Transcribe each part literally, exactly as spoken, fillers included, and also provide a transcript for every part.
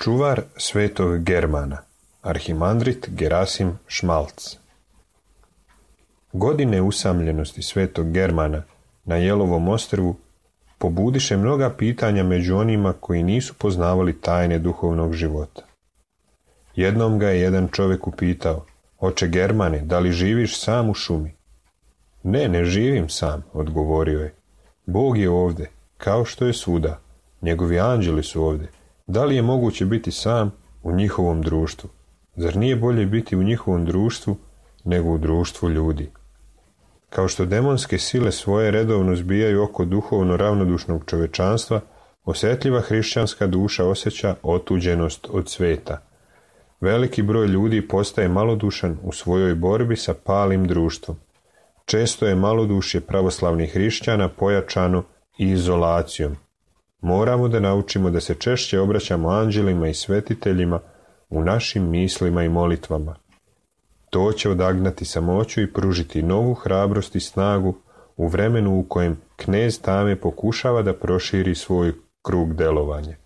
Čuvar svetog Germana, arhimandrit Gerasim Šmalc. Godine usamljenosti svetog Germana na Jelovom ostrvu pobudiše mnoga pitanja među onima koji nisu poznavali tajne duhovnog života. Jednom ga je jedan čovjek upitao: "Oče Germane, da li živiš sam u šumi?" "Ne, ne živim sam", odgovorio je. "Bog je ovdje, kao što je svuda. Njegovi anđeli su ovdje. Da li je moguće biti sam u njihovom društvu? Zar nije bolje biti u njihovom društvu nego u društvu ljudi?" Kao što demonske sile svoje redovno zbijaju oko duhovno ravnodušnog čovečanstva, osjetljiva hrišćanska duša osjeća otuđenost od sveta. Veliki broj ljudi postaje malodušan u svojoj borbi sa palim društvom. Često je malodušje pravoslavnih hrišćana pojačano i izolacijom. Moramo da naučimo da se češće obraćamo anđelima i svetiteljima u našim mislima i molitvama. To će odagnati samoću i pružiti novu hrabrost i snagu u vremenu u kojem knez tame pokušava da proširi svoj krug delovanja.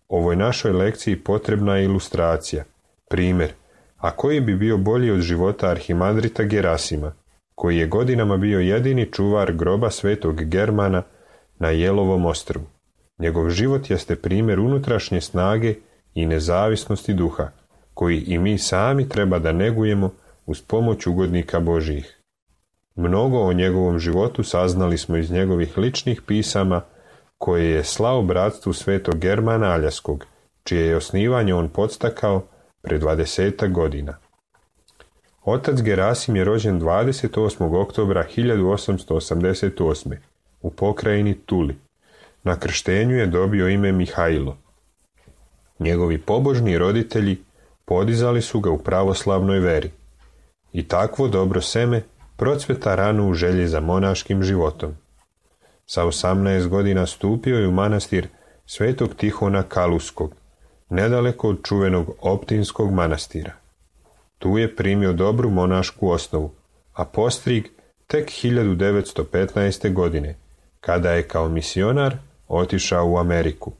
Ovoj našoj lekciji potrebna je ilustracija, primjer, a koji bi bio bolji od života arhimandrita Gerasima, koji je godinama bio jedini čuvar groba svetog Germana na Jelovom ostrvu. Njegov život jeste primjer unutrašnje snage i nezavisnosti duha, koji i mi sami treba da negujemo uz pomoć ugodnika Božjih. Mnogo o njegovom životu saznali smo iz njegovih ličnih pisama koje je slao bratstvu svetog Germana Aljaskog, čije je osnivanje on podstakao pre dvadesetak godina. Otac Gerasim je rođen dvadeset osmog oktobra hiljadu osamsto osamdeset osme. u pokrajini Tuli. Na krštenju je dobio ime Mihajlo. Njegovi pobožni roditelji podizali su ga u pravoslavnoj veri. I takvo dobro seme procveta rano u želji za monaškim životom. Sa osamnaest godina stupio je u manastir svetog Tihona Kaluskog, nedaleko od čuvenog Optinskog manastira. Tu je primio dobru monašku osnovu, a postrig tek hiljadu devetsto petnaeste. godine, kada je kao misionar otišao u Ameriku.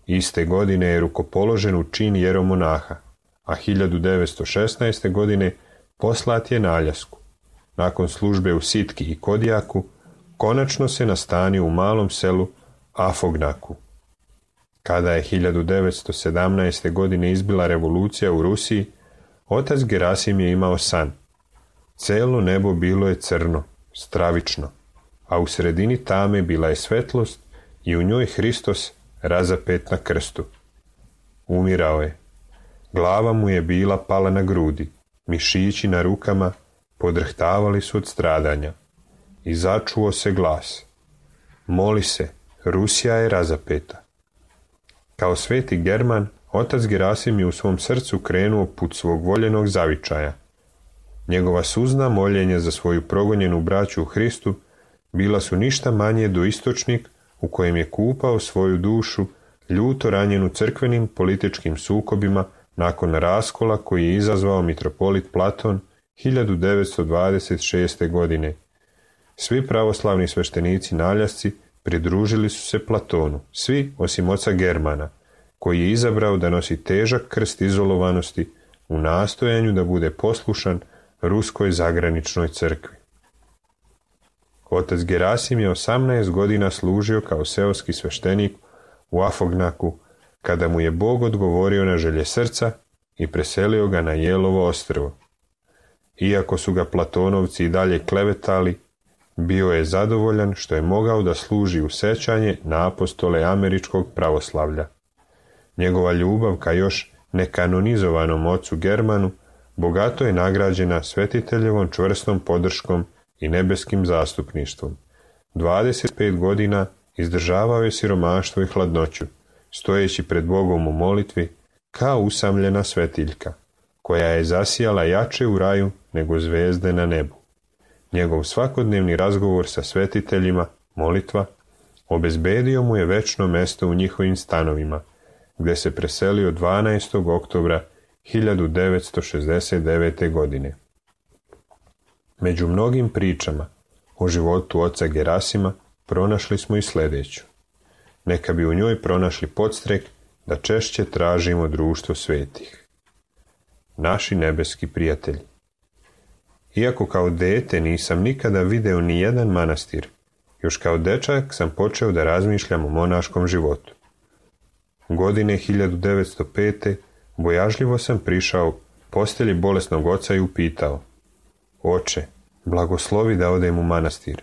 Iste godine je rukopoložen u čin jeromonaha, a hiljadu devetsto šesnaeste. godine poslat je na Aljasku. Nakon službe u Sitki i Kodijaku, konačno se nastanio u malom selu Afognaku. Kada je hiljadu devetsto sedamnaeste. godine izbila revolucija u Rusiji, otac Gerasim je imao san. Celo nebo bilo je crno, stravično, a u sredini tame bila je svetlost i u njoj Hristos razapet na krstu. Umirao je. Glava mu je bila pala na grudi, mišići na rukama podrhtavali su od stradanja. I začuo se glas: moli se, Rusija je razapeta. Kao sveti German, otac Gerasim je u svom srcu krenuo put svog voljenog zavičaja. Njegova suzna moljenja za svoju progonjenu braću u Hristu bila su ništa manje do istočnik u kojem je kupao svoju dušu, ljuto ranjenu crkvenim političkim sukobima nakon raskola koji je izazvao mitropolit Platon hiljadu devetsto dvadeset šeste. godine. Svi pravoslavni sveštenici na Aljasci pridružili su se Platonu, svi osim oca Germana, koji je izabrao da nosi težak krst izolovanosti u nastojanju da bude poslušan ruskoj zagraničnoj crkvi. Otac Gerasim je osamnaest godina služio kao seoski sveštenik u Afognaku, kada mu je Bog odgovorio na želje srca i preselio ga na Jelovo ostrvo. Iako su ga Platonovci i dalje klevetali, bio je zadovoljan što je mogao da služi u sećanje na apostole američkog pravoslavlja. Njegova ljubav ka još nekanonizovanom ocu Germanu bogato je nagrađena svetiteljevom čvrstom podrškom i nebeskim zastupništvom. dvadeset pet godina izdržavao je siromaštvo i hladnoću, stojeći pred Bogom u molitvi kao usamljena svetiljka, koja je zasijala jače u raju nego zvezde na nebu. Njegov svakodnevni razgovor sa svetiteljima, molitva, obezbedio mu je večno mesto u njihovim stanovima, gdje se preselio dvanaestog oktobra hiljadu devetsto šezdeset devete. godine. Među mnogim pričama o životu oca Gerasima pronašli smo i sljedeću. Neka bi u njoj pronašli podstrek da češće tražimo društvo svetih. Naši nebeski prijatelji. Iako kao dete nisam nikada video ni jedan manastir, još kao dečak sam počeo da razmišljam o monaškom životu. Godine hiljadu devetsto pete. bojažljivo sam prišao postelji bolesnog oca i upitao: Oče, blagoslovi da odem u manastir.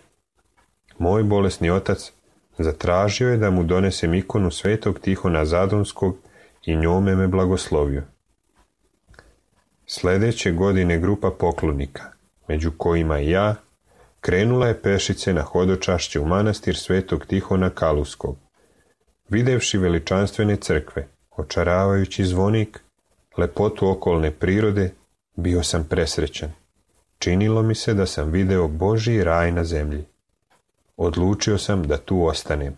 Moj bolesni otac zatražio je da mu donesem ikonu svetog Tihona Zadonskog i njome me blagoslovio. Sljedeće godine grupa poklonika, među kojima i ja, krenula je pešice na hodočašće u manastir svetog Tihona Kaluskog. Videvši veličanstvene crkve, očaravajući zvonik, lepotu okolne prirode, bio sam presrećan. Činilo mi se da sam video Božji raj na zemlji. Odlučio sam da tu ostanem.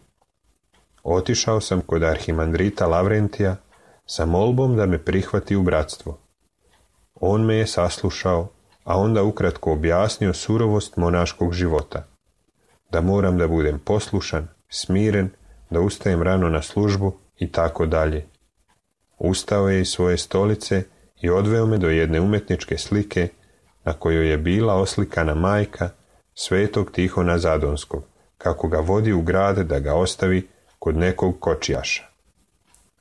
Otišao sam kod arhimandrita Lavrentija sa molbom da me prihvati u bratstvo. On me je saslušao, a onda ukratko objasnio surovost monaškog života. Da moram da budem poslušan, smiren, da ustajem rano na službu i tako dalje. Ustao je iz svoje stolice i odveo me do jedne umetničke slike na kojoj je bila oslikana majka svetog Tihona Zadonskog, kako ga vodi u grad da ga ostavi kod nekog kočijaša.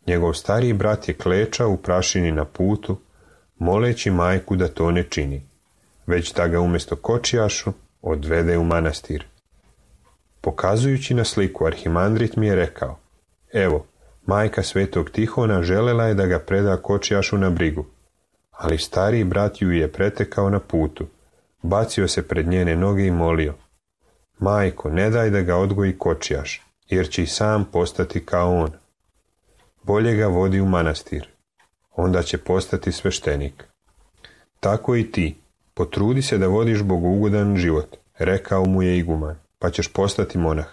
Njegov stariji brat je klečao u prašini na putu, moleći majku da to ne čini, već da ga umjesto kočijašu odvede u manastir. Pokazujući na sliku, arhimandrit mi je rekao: Evo, majka svetog Tihona želela je da ga preda kočijašu na brigu, ali stariji brat ju je pretekao na putu, bacio se pred njene noge i molio: Majko, ne daj da ga odgoji kočijaš, jer će i sam postati kao on. Bolje ga vodi u manastir, onda će postati sveštenik. Tako i ti, potrudi se da vodiš bogougodan život, rekao mu je iguman, pa ćeš postati monah.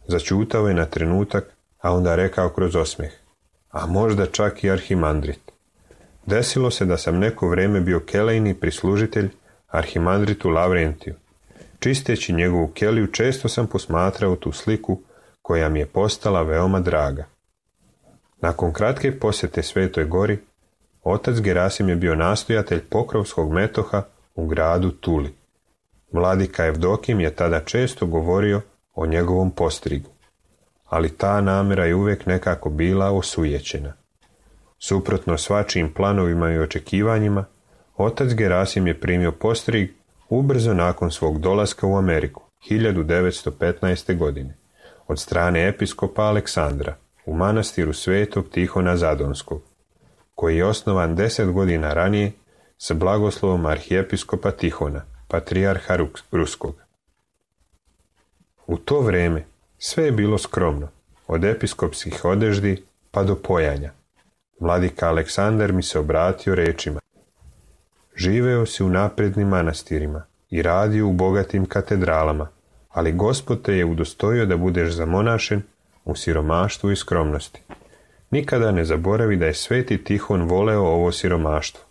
Začutao je na trenutak, a onda rekao kroz osmeh: A možda čak i arhimandrit. Desilo se da sam neko vrijeme bio kelejni prislužitelj arhimandritu Lavrentiju. Čisteći njegovu keliju često sam posmatrao tu sliku koja mi je postala veoma draga. Nakon kratke posjete Svetoj gori, otac Gerasim je bio nastojatelj Pokrovskog metoha u gradu Tuli. Vladika Evdokim je tada često govorio o njegovom postrigu, ali ta namjera je uvijek nekako bila osujećena. Suprotno svačijim planovima i očekivanjima, otac Gerasim je primio postrig ubrzo nakon svog dolaska u Ameriku, hiljadu devetsto petnaeste. godine, od strane episkopa Aleksandra u manastiru Svetog Tihona Zadonskog, koji je osnovan deset godina ranije sa blagoslovom arhijepiskopa Tihona, patrijarha Ruskog. U to vrijeme sve je bilo skromno, od episkopskih odeždi pa do pojanja. Vladika Aleksandar mi se obratio rečima: živeo si u naprednim manastirima i radio u bogatim katedralama, ali Gospod te je udostojio da budeš zamonašen u siromaštvu i skromnosti. Nikada ne zaboravi da je Sveti Tihon voleo ovo siromaštvo.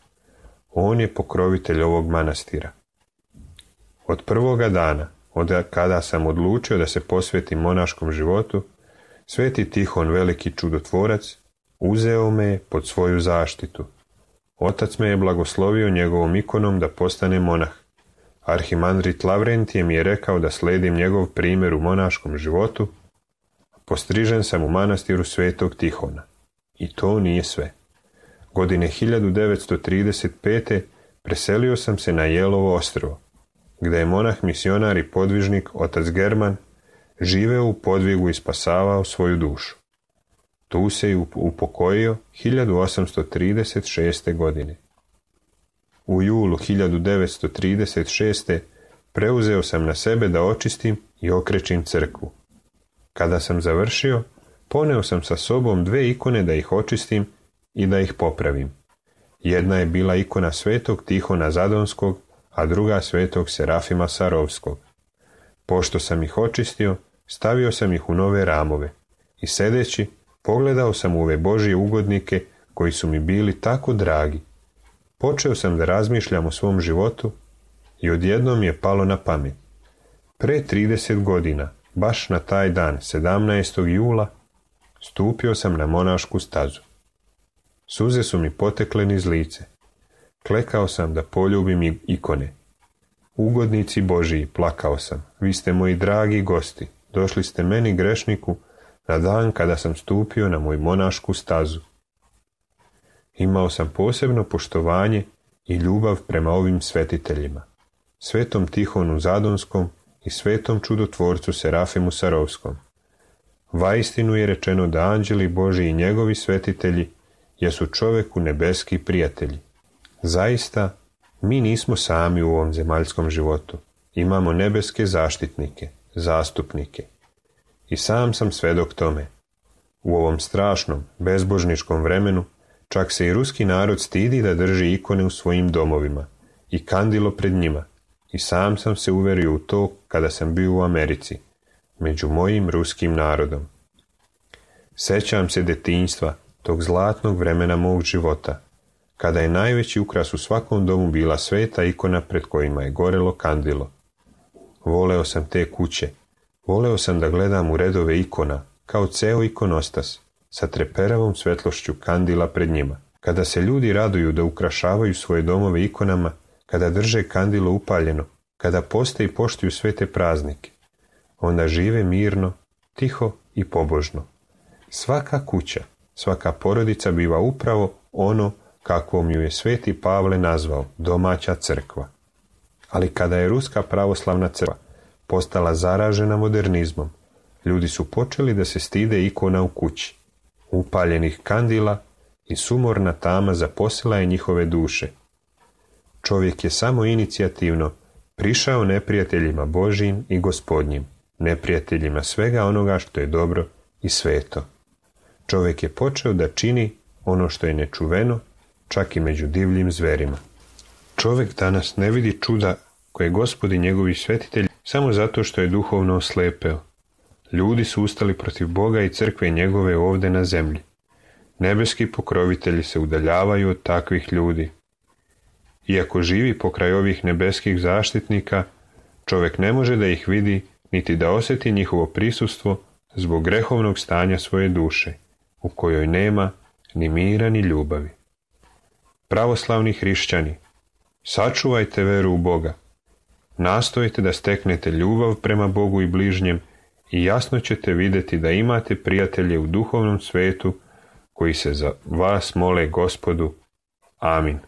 On je pokrovitelj ovog manastira. Od prvoga dana, od kada sam odlučio da se posvetim monaškom životu, Sveti Tihon, veliki čudotvorac, uzeo me je pod svoju zaštitu. Otac me je blagoslovio njegovom ikonom da postane monah. Arhimandrit Lavrentije mi je rekao da sledim njegov primjer u monaškom životu. Postrižen sam u manastiru Svetog Tihona. I to nije sve. Godine hiljadu devetsto trideset pete. preselio sam se na Jelovo ostrvo, gdje je monah misionar i podvižnik otac German živeo u podvigu i spasavao svoju dušu. Tu se i upokojio hiljadu osamsto trideset šeste. godine. U julu hiljadu devetsto trideset šeste. preuzeo sam na sebe da očistim i okrečim crkvu. Kada sam završio, poneo sam sa sobom dve ikone da ih očistim i da ih popravim. Jedna je bila ikona Svetog Tihona Zadonskog, a druga Svetog Serafima Sarovskog. Pošto sam ih očistio, stavio sam ih u nove ramove i sedeći, pogledao sam u ove Božje ugodnike koji su mi bili tako dragi. Počeo sam da razmišljam o svom životu i odjednom mi je palo na pamet. Pre trideset godina, baš na taj dan, sedamnaestog jula, stupio sam na monašku stazu. Suze su mi potekle niz lice. Klekao sam da poljubim ikone. Ugodnici Božiji, plakao sam, vi ste moji dragi gosti, došli ste meni grešniku na dan kada sam stupio na moju monašku stazu. Imao sam posebno poštovanje i ljubav prema ovim svetiteljima, Svetom Tihonu Zadonskom i Svetom čudotvorcu Serafimu Sarovskom. Vaistinu je rečeno da anđeli Božji i njegovi svetitelji jesu čoveku nebeski prijatelji. Zaista, mi nismo sami u ovom zemaljskom životu. Imamo nebeske zaštitnike, zastupnike. I sam sam svedok tome. U ovom strašnom, bezbožničkom vremenu čak se i ruski narod stidi da drži ikone u svojim domovima i kandilo pred njima. I sam sam se uverio u to kada sam bio u Americi, među mojim ruskim narodom. Sećam se detinjstva, tog zlatnog vremena mog života, kada je najveći ukras u svakom domu bila sveta ikona pred kojima je gorelo kandilo. Voleo sam te kuće, voleo sam da gledam u redove ikona, kao ceo ikonostas, sa treperavom svetlošću kandila pred njima. Kada se ljudi raduju da ukrašavaju svoje domove ikonama, kada drže kandilo upaljeno, kada poste i poštuju sve te praznike, onda žive mirno, tiho i pobožno. Svaka kuća, svaka porodica biva upravo ono kakvom ju je Sveti Pavle nazvao domaća crkva. Ali kada je Ruska pravoslavna crkva postala zaražena modernizmom, ljudi su počeli da se stide ikona u kući, upaljenih kandila i sumorna tama zaposila je njihove duše. Čovjek je samo inicijativno prišao neprijateljima Božjim i Gospodnjim, neprijateljima svega onoga što je dobro i sveto. Čovjek je počeo da čini ono što je nečuveno, čak i među divljim zverima. Čovjek danas ne vidi čuda koje Gospodi njegovi svetitelji samo zato što je duhovno oslepeo. Ljudi su ustali protiv Boga i crkve njegove ovdje na zemlji. Nebeski pokrovitelji se udaljavaju od takvih ljudi. Iako živi pokraj ovih nebeskih zaštitnika, čovjek ne može da ih vidi, niti da osjeti njihovo prisustvo zbog grehovnog stanja svoje duše, u kojoj nema ni mira ni ljubavi. Pravoslavni hrišćani, sačuvajte veru u Boga, nastojite da steknete ljubav prema Bogu i bližnjem i jasno ćete vidjeti da imate prijatelje u duhovnom svetu koji se za vas mole Gospodu. Amin.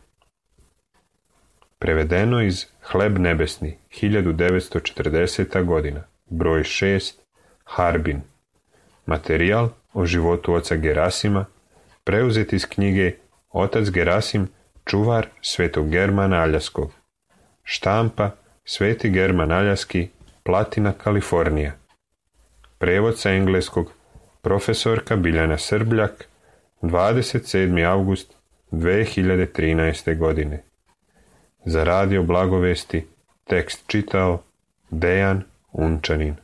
Prevedeno iz Hleb nebesni, hiljadu devetsto četrdeseta godina, broj šest, Harbin. Materijal o životu oca Gerasima, preuzet iz knjige Otac Gerasim, čuvar Svetog Germana Aljaskog. Štampa Sveti German Aljaski, Platina, Kalifornija. Prevod sa engleskog profesorka Biljana Srbljak, dvadeset sedmi avgust dve hiljade trinaeste. godine. Za radio Blagovesti tekst čitao Dejan Unčanin.